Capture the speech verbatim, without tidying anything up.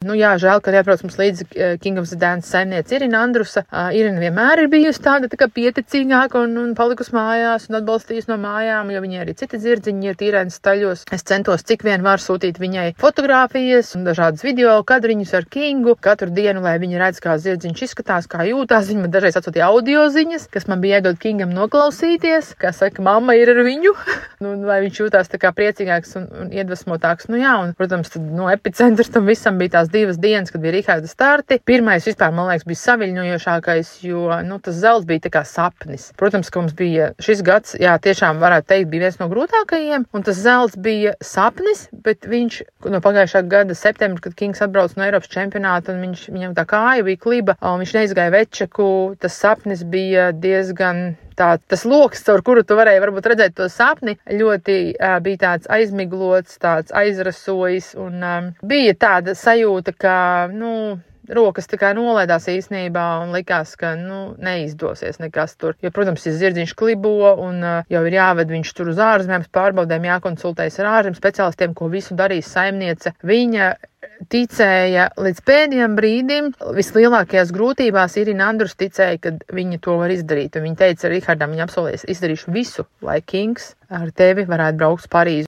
Nu jā, žēl, ka jāprauc mums līdzi King of the Dance saimniece Irina Andrusa. Uh, Irina vienmēr ir bijusi tāda tā kā pieticīgāka un, un palikusi mājās un atbalstījusi no mājām, jo viņai arī citi dzirdziņi ir tīrēnas staļos. Es centos cik vien var sūtīt viņai fotogrāfijas un dažādas video kadriņus ar Kingu katru dienu, lai viņa redz, kā dzirdziņš izskatās, kā jūtās. Viņa man dažreiz atsūtīja audio ziņas, kas man bija iedod Kingam noklausīties, kā saka, mamma ir ar viņu, nu, lai viņš jūtās tā kā priecīgāks un, un iedvesmotāks. Nu jā, un, protams, tad, no epicentrs tam visam bija tās divas dienas, kad bija Riharda starti. Pirmais vispār, man liekas, bija saviļņojošākais, jo, nu, tas zelts bija tā kā sapnis. Protams, ka mums bija šis gads, jā, tiešām varētu teikt, bija viens no grūtākajiem, un tas zelts bija sapnis, bet viņš no pagājušā gada septembra, kad Kings atbrauc no Eiropas čempionāta, un viņš, viņam tā kāja bija kliba, un viņš neizgāja večaku, tas sapnis bija diezgan tā, tas loks, caur kuru tu varēji varbūt redzēt to sapni, ļoti uh, bija tāds aizmiglots, tāds aizrasojis, un um, bija tāda sajūta, ka, nu, rokas tā kā nolaidās īstenībā un likās, ka, nu, neizdosies nekas tur. Jo, protams, ja zirdziņš klibo un uh, jau ir jāved viņš tur uz ārzemēm, pārbaudēm jākonsultējas ar ārzem speciālistiem, ko visu darīs saimniece. Viņa ticēja līdz pēdējiem brīdim, vislielākajās grūtībās Irina Andrus ticēja, ka viņa to var izdarīt. Un viņa teica Rihardam, viņa apsolījis, izdarīšu visu, lai Kings ar tevi varētu braukt uz Parīzi.